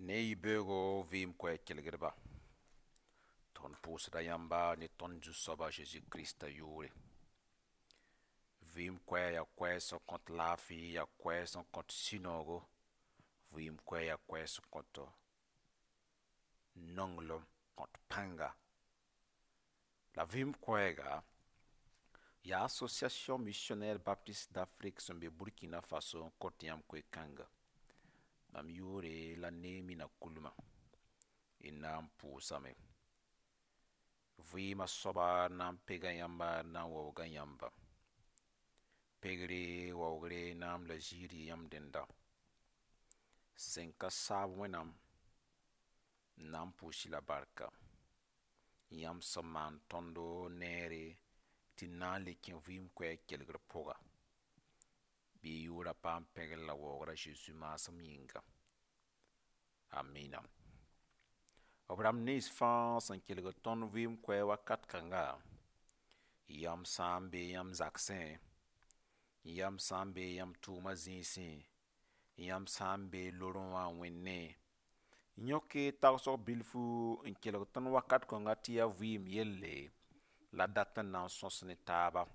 Ne yibeoogo vɩɩm koɛɛg kelgdba, tõnd pʋʋsda yãmba ne tõnd Zu-soaba Zeezi Kirista yʋʋre. Vɩɩm koɛɛg yaa koɛɛg sẽn kõt laafɩ, yaa koɛɛg sẽn kõt sũ-noogo, vɩɩm koɛɛg yaa koɛɛg sẽn kõt nonglem, kõt pãnga. La vɩɩm koɛɛga yaa Association Missionnaire Baptiste d'Afrique sẽn be Burkina Faso n kõt yãmb koe-kãnga. Mam yʋʋre la Neemi Nakulmã. Y na n pʋʋsame. Vɩɩmã soaba na n pega yãmba, na n waooga yãmba. Pegre, waoogre, naam la ziir yɩ yãmb dẽnda. Sẽn ka saab Wẽnnaam n na n pʋʋs-y la barka. Yãmb sẽn maan tõndo neere tɩ d na n le kẽ vɩɩm koɛɛg kelgr pʋga. Bɩ y yʋʋra paam pẽgr la waoogra Zeezi maasem yĩnga. Amina. B rãmb nins fãa sẽn kelgd tõnd vɩɩm koɛɛg wakat kãnga, yãmb sã n be yãmb zagsẽ, yãmb sã n be yãmb tʋʋma zĩisẽ, yãmb sã n be lorẽ wã n wẽnne, yõk y tagsg bilfu n kelg tõnd wakat kãngã tɩ yaa vɩɩm yelle la dat n na n sõs ne taaba.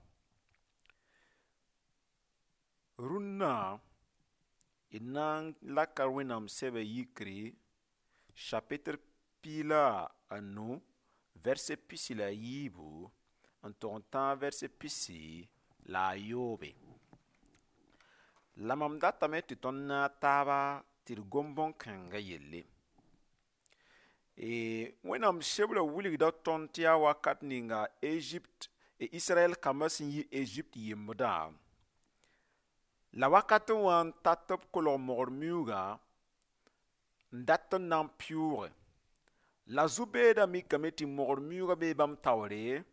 Rũnnã d na n laka Wẽnnaam sɛbɛ yikre chapitre 15 verset 14 n tog n tãag verset 17. La mam datame tɩ tõnd naag taaba tɩ d gom bõn-kãngã yelle. Wẽnnaam sebrã wilgda tõnd tɩ yaa wakat ninga Egypte, Israɛl kambã sẽn yi Egypte yembdã, la wakat n wã n tat tɩ b kolg mogr miuugã n dat n na n pɩʋʋge. La zu-beedã mikame tɩ mogr miuugã bee bãmb taoore,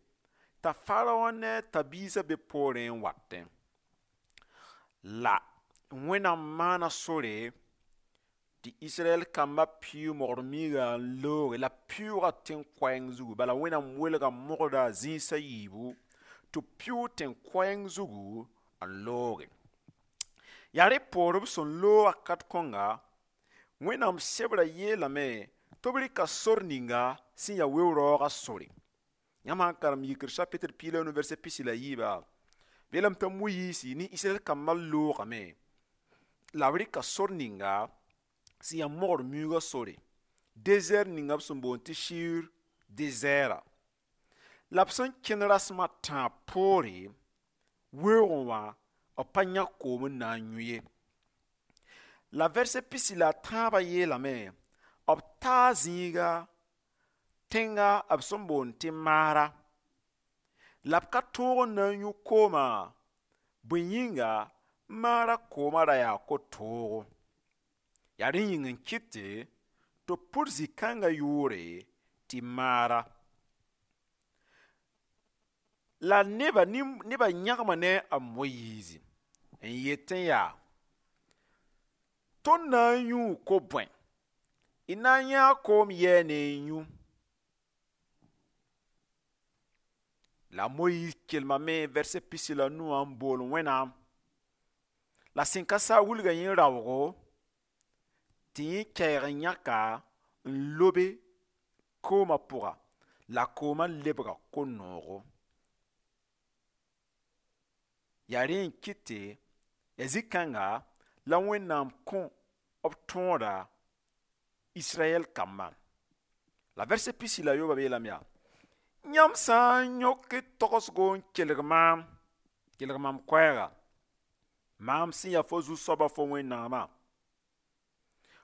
t'a Faraõ ne a tãb-biisã be poorẽ n watẽ. La Wẽnnaam maana sore tɩ Israɛl kambã pɩʋʋg mogr miigã n looge la pɩʋʋga tẽn-koɛɛng zugu. Bala Wẽnnaam welga mogrã zĩis a yiibu tɩ pɩʋʋg tẽn-koɛɛng zugu n looge. Yaa rẽ poor b sẽn loog wakat kõnga, Wẽnnaam sebrã yeelame tɩ b rɩka sor ninga sẽn yaa weo-raoogã sore. Yãmb sã n karem yikr chapitre 15 verset 17, b yeelame tɩ Moyiisi ne Israɛl kambã loogame la b rɩka sor ninga sẽn yaa mogr miuugã sore, désert ninga b sẽn boond tɩ Shur désert. La b sẽn kẽnd rasem a tãab poore, weoogẽ wã b pa yãk koom n na n yũ ye. La verset 13 yeelame b taa zĩiga tẽnga b sẽn boond tɩ Maara. La b ka tõog n na n yũ koomã, bõe yĩnga Maara koomã ra yaa ko-toogo. Yaa rẽ yĩng n kɩte tɩ b pʋd zĩ-kãngã yʋʋre tɩ Maara. La nebã yãgma ne a Moyiizi n yetẽ yaa, tõnd na n yũu ko-bõe? D na n yãa koom yɛɛ ne n yũ. La Moyiis kelmame verset 19 wã n bool Wẽnnaam. La sẽn ka saa wilga yẽ raoogo tɩ yẽ kɛɛg n yãka n lobe koomã pʋga, la koomã lebga ko-noogo. Yaa rẽ n kɩte yaa zĩ-kãnga la Wẽnnaam kõ b tõoda Israɛl kambã. La verset 18 yeelame yaa, yãmb sã n yõk togsgo n kelg maam, kelg mam koɛɛga, maam sẽn yaa fo zu-soaba fo Wẽnnaamã,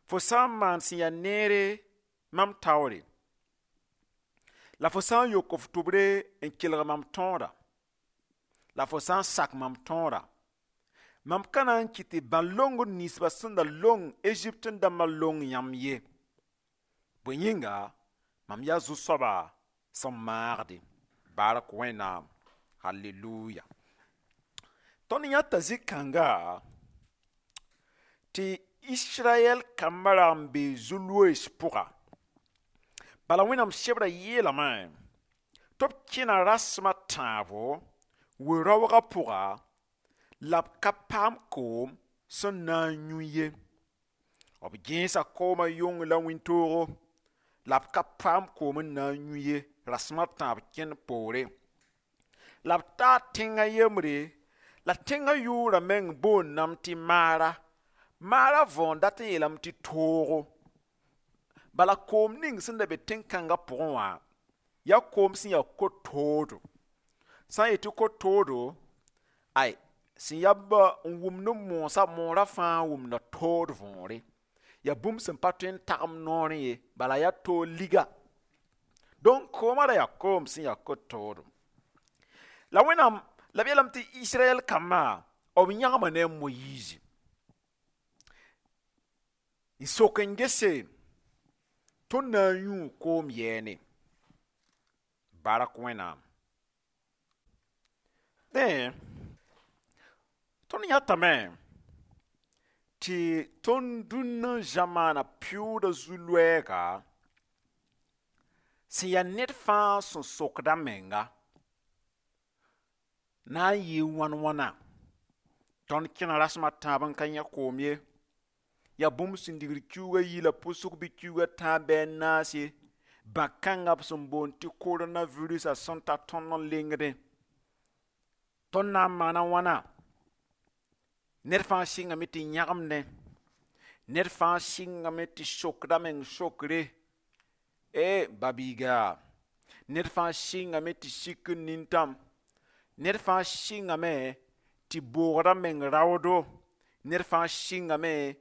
fo sã n maan sẽn yaa neere mam taoore, la fo sã n yok f tʋbre n kelg mam tõoda, la fo sã n sak mam tõoda, mam ka na n kɩt tɩ bãn-longd ninsbã sẽn da long Egypte dãmbã long yãmb ye. Bõe yĩnga, mam yaa zu-soaba sẽn maagde. Bark Wẽnnaam. Halleluya. Tõnd yãta zĩ-kãnga tɩ Israɛl kambã ra n be zu-loees pʋga. Bala Wẽnnaam sebrã yeelame tɩ b kẽna rasem a tãabo we-raoogã pʋga, la b ka paam koom sẽn na n yũ ye. B gẽesa koomã yong la wĩntoogo la b ka paam koom n na n yũ ye, rasem a tãab kẽnd poore. La b taa tẽngã yembre, la tẽngã yʋʋra meng boondame tɩ Maara. Maara võor dat n yeelame tɩ toogo. Bala koom ning sẽn da be tẽn-kãngã pʋgẽ wã, yaa koom sẽn yaa ko-toodo. Sã n yet tɩ ko-toodo, ay, sẽn yaa n wʋmd n moosã, moorã fãa wʋmda tood võore. Yaa bũmb sẽn pa tõe n tagem noorẽ ye, bala yaa toog liga. Donc koomã ra yaa koom sẽn yaa ko-toodo. La Wẽnnaam, la b yeelame tɩ Israɛl kambã, b yãgma ne a Moyiizi. N sok n gese tõnd na n yũu koom yɛɛne. Bark Wẽnnaam. Dẽ, tõnd yãtame tɩ tõnd dũnna zãmaana pɩʋʋda zu-loɛɛga sẽn yaa ned fãa sẽn sokd a menga na n yɩɩ wãn wãna. Tõnd kẽna rasem a tãab n ka yẽ koom ye. Yaa bũmb sẽn digd kiuugã yi la pʋsg bɩ kiuugã tãab bɩ a naas ye. Bã-kãngã b sẽn boond tɩ coronavirusã sẽn ta tõnd n lengdẽ. Tõnd na n maana wãna? Ned fãa sɩngame tɩ yãgemdẽ. Ned fãa sɩngame tɩ sokd a meng sokre. E ba-biiga. Ned fãa sɩngame tɩ sik n nintãm. Ned fãa sɩngame tɩ boogd a meng raoodo. Ned fãa sɩngame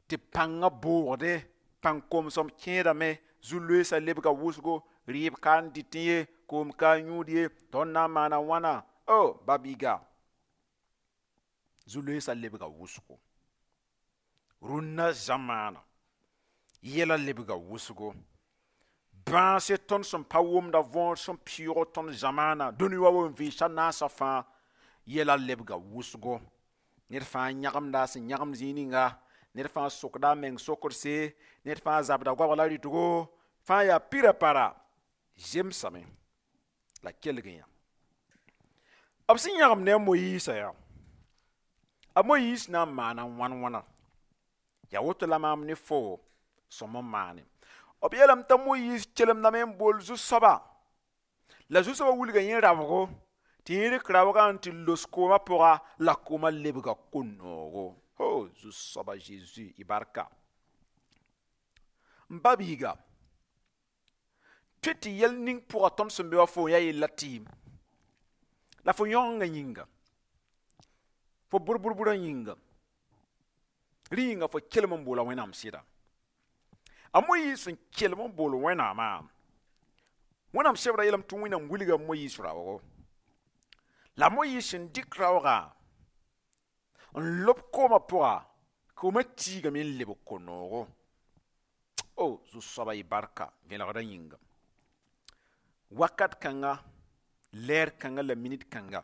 tɩ pãngã boogde, pãng komsem kẽedame, zu-loeesã lebga wʋsgo, rɩɩb ka n dɩtẽ ye, koom ka n yũud ye, tõnd na n maana wãna? O ba-biiga. Zu-loeesã lebga wʋsgo. Rũnnã zamaana yɛla lebga wʋsgo. Bãase tõnd sẽn pa wʋmda võor sẽn pɩʋʋg tõnd zamaana, dũni wa n vɩɩsa naasã fãa, yɛla lebga wʋsgo. Ned fãa yãgemda a sẽn yãgemd zĩig ninga, ned fãa sokda a meng sokdse, ned fãa zabda goabg la rɩtgo, fãa yaa pira para zemsame la kelg yã. B sẽn yãgem ne a Moyiisã yaa, a Moyiis na n maana wãn wãna. Yaa woto la maam ne fo sõm n maane. B yeelame t'a Moyiis kelemdame n bool zu-soaba. La zu-soabã wilga yẽ raoogo, tɩ yẽ rɩk raoogã n tɩ los koomã pʋga, la koomã lebga ko-noogo. Ho, zu-soaba Zeezi y barka. N ba-biiga, tõe tɩ yɛl ning pʋga tõnd sẽn be wa fo yaa yella tɩɩm. La fo yãongã yĩnga, fo bʋr-bʋr-bʋrã yĩnga, rẽ yĩnga fo kelem n boola Wẽnnaam sɩda. A Moyiis sẽn kelem n bool Wẽnnaamã, Wẽnnaam sebra yeelame tɩ Wẽnnaam wilga Moyiis raoogo. La Moyiis sẽn dɩk raoogã n lob koomã pʋga, koomã tiigame n lebg ko-noogo. O zu-soaba y barka vẽlgdã yĩnga. Wakat kãnga, lɛɛr kãnga la minit kãnga,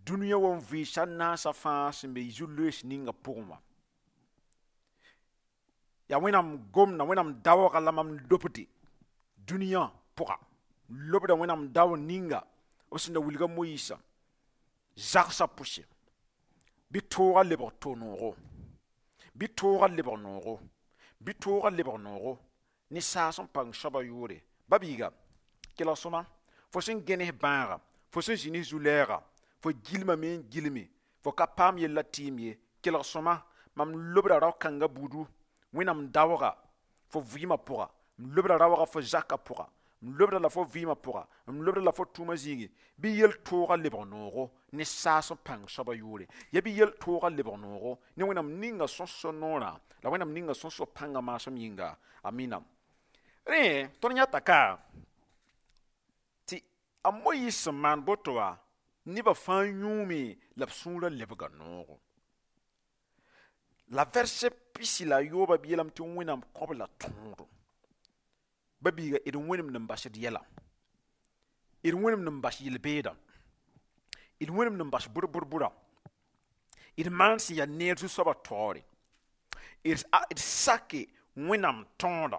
dũniyã wa n vɩɩsa naasã fãa sẽn be zu-loees ninga pʋgẽ wã. Yaa Wẽnnaam gomda, Wẽnnaam daooga la mam lobde dũniyã pʋga. Lobda Wẽnnaam dao ninga b sẽn da wilga Moyiisã zagsã pʋse. Bɩ toogã lebg to-noogo, bɩ toogã lebg noogo, bɩ toogã lebg noogo ne saas n pãng soabã yʋʋre. Ba-biiga, kelg sõma, fo sẽn gẽnes bãaga, fo sẽn zĩ ne zu-lɛɛga, fo gilmame n gilme, fo ka paam yella tɩɩm ye. Kelg sõma, mam lobda rao-kãngã buudu, Wẽnnaam daooga fo vɩɩmã pʋga, m lobda raooga fo zakã pʋga, m lobda la fo vɩɩmã pʋga, m lobda la fo tʋʋmã zĩigi, bɩ yel-toogã lebg noogo ne saas n pãng soabã yʋʋre. Ya bɩ yel-toogã lebg noogo ne Wẽnnaam ninga sẽn so noorã, la Wẽnnaam ninga sẽn so pãngã maasem yĩnga. Amina. Rẽ, tõnd yãta ka tɩ a Moyiis sẽn maan boto wã, nebã fãa yũume la b sũurã lebga noogo. La verset pisi la yoobã b yeelame tɩ Wẽnnaam kõb la tõodo. Ba-biiga, d wẽnemd n bas d yɛla, d wẽnemd n bas yel-beedã, d wẽnemd n bas bʋr-bʋr-bʋra, d maan sẽn yaa neer zu-soabã taoore, d sake Wẽnnaam tõodã.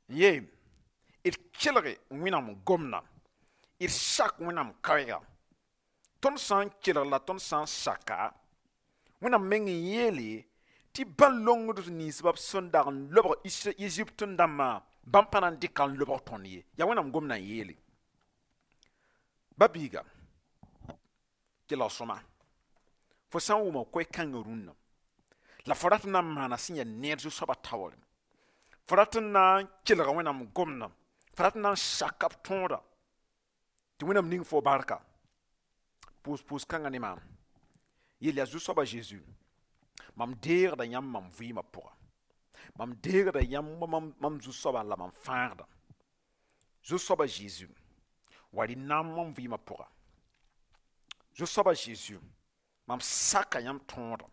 Ye, d kelge Wẽnnaam gomda, d sak Wẽnnaam kaoeega. Tõnd sã n kelg la tõnd sã n saka, Wẽnnaam meng n yeele tɩ bãn-longd ninsbã b sẽn dag n lobg Egypte dãmbã, bãmb pa na n dɩka n lobg tõnd ye. Yaa Wẽnnaam gomdã n yeele. Ba biiga, kelg sõma, fo sã n wʋma koe-kãngã rũnnã la fo rat n na n maana sẽn yaa neer zu-soabã taoore, fo rat n na n kelga Wẽnnaam gomdã, fo rat n na n saka b tõoda tɩ Wẽnnaam ning fo barka, pʋʋs kãngã ne maam. Yel yaa: Zu-soaba Zeezi, mam deegda yãmb mam vɩɩmã pʋga, mam deegda yãmb mam zu-soabã la mam fãagda. Zu-soaba Zeezi, wa rɩ naam mam vɩɩmã pʋga. Zu-soaba Zeezi, mam saka yãmb tõoda,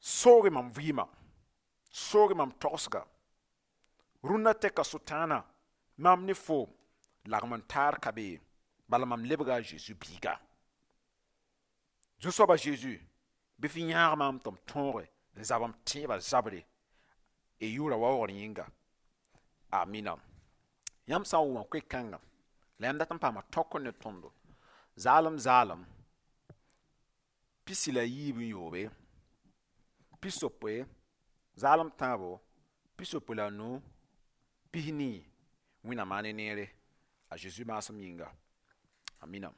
sooge mam vɩɩmã, sooge mam togsga. Rũnnã tɛka Sʋtãana mam ne fo lagm n taar ka be ye, bala mam lebga a Zeezi biiga. Zu-soaba Zeezi, bɩ f yãag maam tɩ m tõoge n zab m tẽebã zabre y yʋʋra waoogr yĩnga. Amina. Yãmb sã n wʋma koe-kãngã la yãmb dat n paama tõk ne tõndo, zaalem zaalem 63, 63 zaalem tãabo 65 40. Wẽnnaam maan ne neere a Zeezi maasem yĩnga. Amina.